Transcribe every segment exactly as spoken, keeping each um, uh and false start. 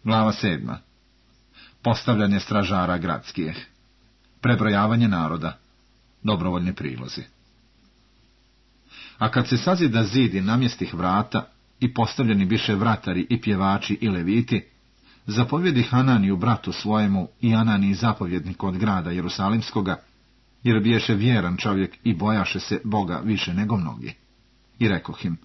Glava sedma. Postavljanje stražara gradskih. Prebrojavanje naroda. Dobrovoljni prilozi. A kad se sazida zid i namjestih vrata i postavljeni biše vratari i pjevači i leviti, zapovjedi Hananiju bratu svojemu i Ananiji zapovjednik od grada Jerusalimskoga, jer biješe vjeran čovjek i bojaše se Boga više nego mnogi. I rekoh im,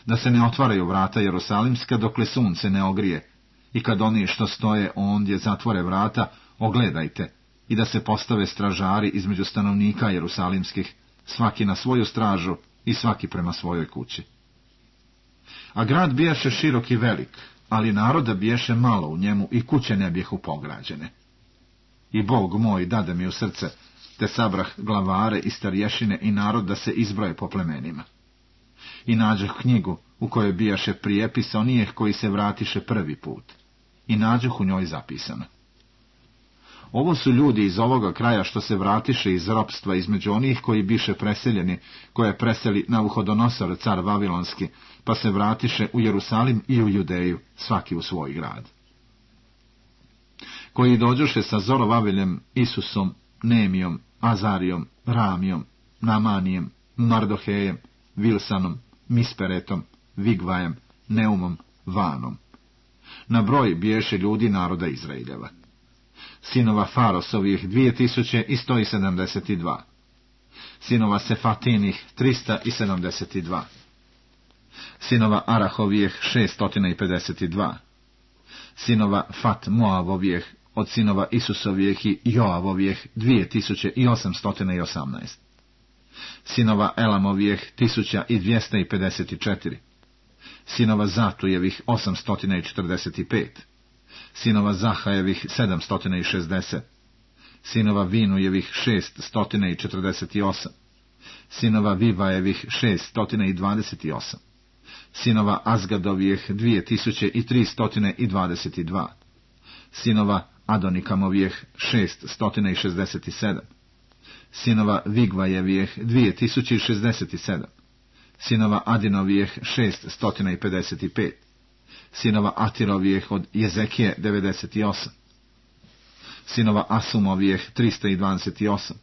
da se ne otvaraju vrata Jerusalimska dokle sunce ne ogrije, i kad oni što stoje ondje zatvore vrata, ogledajte, i da se postave stražari između stanovnika jerusalimskih, svaki na svoju stražu i svaki prema svojoj kući. A grad bijaše širok i velik, ali naroda biješe malo u njemu i kuće ne bijehu pograđene. I Bog moj dade mi u srce, te sabrah glavare i starješine i narod da se izbroje po plemenima. I nađoh knjigu u kojoj bijaše prijepis onijeh koji se vratiše prvi put, i nađoh u njoj zapisano. Ovo su ljudi iz ovoga kraja što se vratiše iz ropstva između onih koji biše preseljeni, koje preseli Navuhodonosor, car Vavilonski, pa se vratiše u Jerusalim i u Judeju, svaki u svoj grad. Koji dođoše sa Zorovaviljem, Isusom, Nemijom, Azarijom, Ramijom, Namanijem, Mardohejem, Vilsanom, Misperetom, Vigvajem, Neumom, Vanom. Na broj biješe ljudi naroda Izraeljeva. Sinova Farosovih dvije tisuće i sto sedamdeset dva. Sinova Sefatinih trista sedamdeset dva. Sinova Arahovijeh šesto pedeset dva. Sinova Fat Moavovijeh od sinova Isusovijeh i Joavovijeh dvije tisuće i osamsto osamnaest. Sinova Elamovijeh tisuća i dvjesto pedeset četiri. Sinova Zatujevih osamsto četrdeset pet. Sinova Zahajevih sedamsto šezdeset. Sinova Vinujevih šeststo četrdeset osam. Sinova Vivajevih šeststo dvadeset osam. Sinova Azgadovijeh dvije tisuće i tristo dvadeset dva. Sinova Adonikamovijeh šeststo šezdeset sedam. Sinova Vigvajevijeh dvije tisuće i šezdeset sedam. Sinova Adinovijeh šeststo pedeset pet. Sinova Atirovijeh od Jezekije devedeset osam. Sinova Asumovijeh tristo dvadeset osam.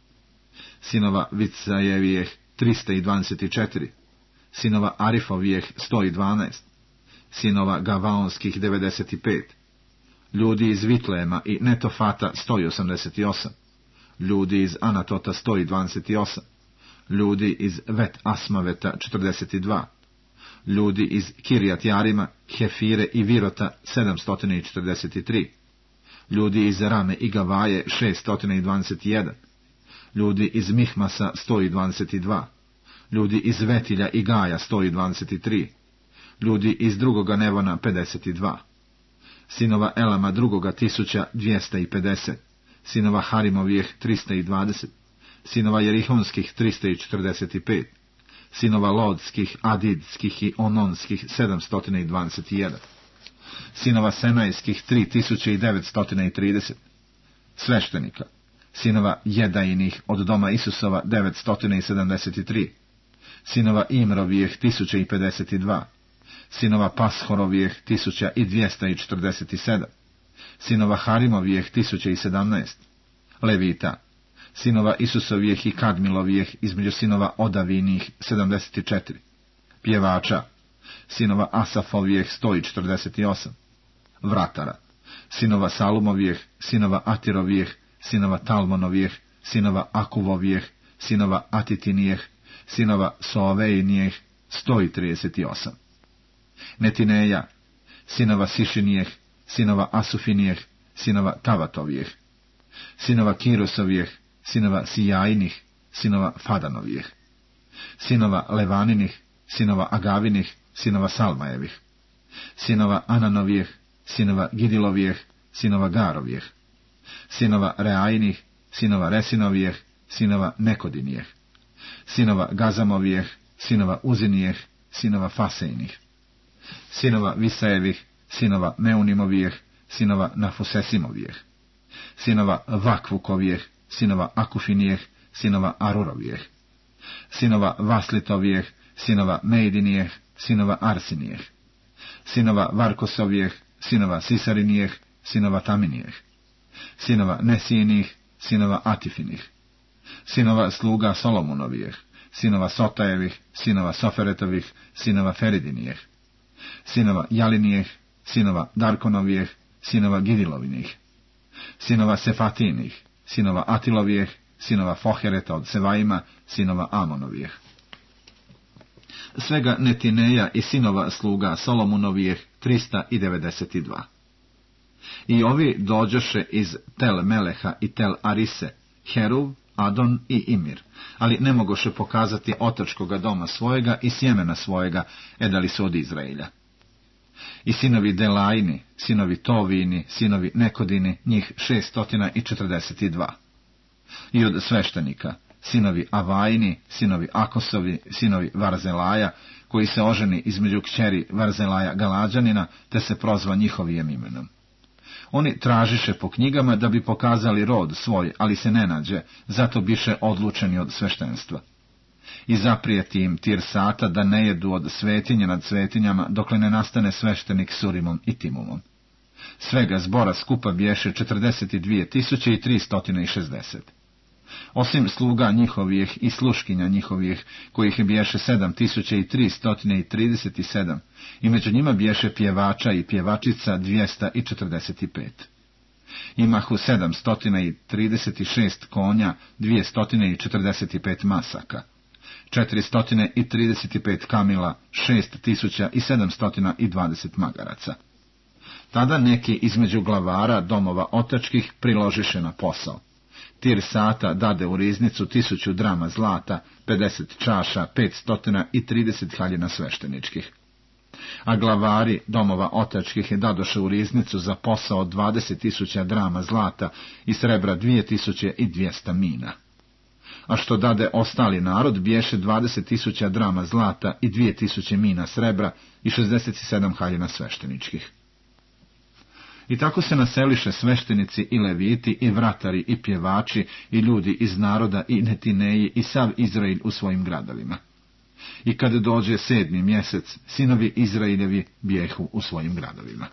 Sinova Vicajevijeh tristo dvadeset četiri. Sinova Arifovijeh sto dvanaest. Sinova Gavaonskih devedeset pet. Ljudi iz Vitlema i Netofata sto osamdeset osam. Ljudi iz Anatota sto dvadeset osam. Ljudi iz Vet Asmaveta četrdeset dva. Ljudi iz Kirjat Jarima, Hefire i Virota sedamsto četrdeset tri. Ljudi iz Rame i Gavaje šeststo dvadeset jedan. Ljudi iz Mihmasa sto dvadeset dva. Ljudi iz Vetilja i Gaja sto dvadeset tri. Ljudi iz drugoga Nevona pedeset dva. Sinova Elama drugoga tisuća dvjesto pedeset. Sinova Harimovijeh tristo dvadeset. Sinova Jerihonskih tristo četrdeset pet. Sinova Lodskih, Adidskih i Ononskih sedamsto dvadeset jedan. Sinova Senajskih tri tisuće devetsto trideset. Sveštenika. Sinova Jedainih od doma Isusova devetsto sedamdeset tri. Sinova Imrovijeh tisuća pedeset dva. Sinova Pashorovijeh tisuća dvjesto četrdeset sedam. Sinova Harimovijeh tisuća sedamnaest. Levita. Sinova Isusovijeh i Kadmilovijeh između sinova Odavinih sedamdeset četiri. Pjevača. Sinova Asafovijeh sto četrdeset osam. Vratara. Sinova Salumovijeh, sinova Atirovijeh, sinova Talmonovijeh, sinova Akuvovijeh, sinova Atitinijeh, sinova Soavejnijeh sto trideset osam. Netineja. Sinova Sišinijeh, sinova Asufinijeh, sinova Tavatovijeh. Sinova Kirosovijeh, sinova Sijajnih, sinova Fadanovijeh. Sinova Levaninih, sinova Agavinih, sinova Salmajevih. Sinova Ananovijeh, sinova Gidilovijeh, sinova Garovijeh. Sinova Reajnih, sinova Resinovijeh, sinova Nekodinijeh. Sinova Gazamovijeh, sinova Uzinijeh, sinova Fasejnih. Sinova Visajevih, sinova Meunimovijeh, sinova Nafusesimovijeh. Sinova Vakvukovijeh, sinova Akufinijeh, sinova Arurovijeh. Sinova Vaslitovijeh, sinova Mejdinijeh, sinova Arsinijeh. Sinova Varkosovijeh, sinova Sisarinijeh, sinova Taminijeh, sinova Nesijinih, sinova Atifinih, sinova sluga Solomonovijeh, sinova Sotajevih, sinova Soferetovih, sinova Feridinijeh, sinova Jalinijeh, sinova Darkonovijeh, sinova Gidilovinih, sinova Sefatinih, sinova Atilovijeh, sinova Fohereta od Sevaima, sinova Amonovijeh. Svega Netineja i sinova sluga Solomonovijeh trista devedeset dva. I ovi dođoše iz Tel Meleha i Tel Arise, Heruv, Adon i Imir, ali ne mogoše pokazati otačkoga doma svojega i sjemena svojega, edali su od Izraelja. I sinovi Delajni, sinovi Tovini, sinovi Nekodini, njih šestotina četrdeset dva. I od sveštenika, sinovi Avajni, sinovi Akosovi, sinovi Varzelaja, koji se oženi između kćeri Varzelaja Galađanina, te se prozva njihovijem imenom. Oni tražiše po knjigama da bi pokazali rod svoj, ali se ne nađe, zato biše odlučeni od sveštenstva. I zaprijeti im Tirsata da ne jedu od svetinje nad svetinjama, dokle ne nastane sveštenik s Urimom i Timumom. Svega zbora skupa biješe četrdeset dvije tisuće tristo šezdeset. Osim sluga njihovih i sluškinja njihovih, kojih biješe sedam tisuća tristo trideset sedam, i među njima biješe pjevača i pjevačica dvjesto četrdeset pet. Imahu sedamsto trideset šest konja, dvjesto četrdeset pet masaka, četiristo trideset pet kamila, šest tisuća sedamsto dvadeset magaraca. Tada neki između glavara domova otačkih priložiše na posao. Tirsata dade u riznicu tisuću drama zlata, pedeset čaša, petsto trideset haljina svešteničkih. A glavari domova otačkih dadoše u riznicu za posao dvadeset tisuća drama zlata i srebra dvije tisuće dvjesto mina. A što dade ostali narod, biješe dvadeset tisuća drama zlata i dvije tisuće mina srebra i šezdeset sedam haljina svešteničkih. I tako se naseliše sveštenici i leviti i vratari i pjevači i ljudi iz naroda i Netineji i sav Izrael u svojim gradovima. I kad dođe sedmi mjesec, sinovi Izraeljevi bijehu u svojim gradovima.